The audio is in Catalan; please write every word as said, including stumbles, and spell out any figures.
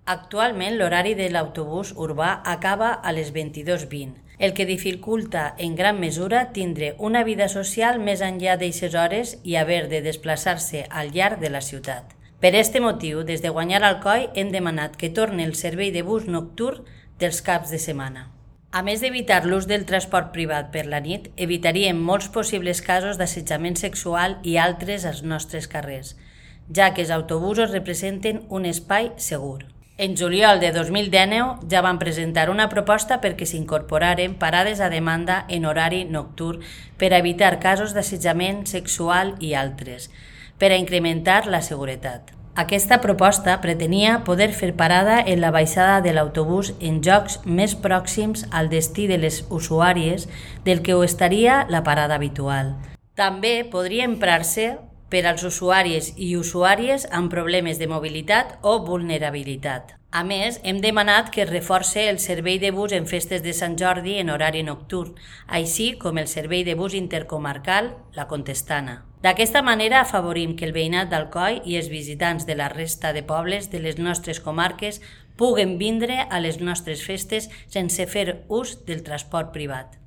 Actualment, l'horari de l'autobús urbà acaba a les vint-i-dues vint, el que dificulta en gran mesura tindre una vida social més enllà d'eixes hores i haver de desplaçar-se al llarg de la ciutat. Per este motiu, des de Guanyar Alcoi hem demanat que torni el servei de bus nocturn dels caps de setmana. A més d'evitar l'ús del transport privat per la nit, evitaríem molts possibles casos d'assetjament sexual i altres als nostres carrers, ja que els autobusos representen un espai segur. En juliol de dos mil dinou ja van presentar una proposta perquè s'incorporaren parades a demanda en horari nocturn per a evitar casos d'assetjament sexual i altres, per a incrementar la seguretat. Aquesta proposta pretenia poder fer parada en la baixada de l'autobús en llocs més pròxims al destí de les usuàries del que ho estaria la parada habitual. També podria emprar-se per als usuaris i usuàries amb problemes de mobilitat o vulnerabilitat. A més, hem demanat que es reforci el servei de bus en festes de Sant Jordi en horari nocturn, així com el servei de bus intercomarcal La Contestana. D'aquesta manera afavorim que el veïnat d'Alcoi i els visitants de la resta de pobles de les nostres comarques puguen vindre a les nostres festes sense fer ús del transport privat.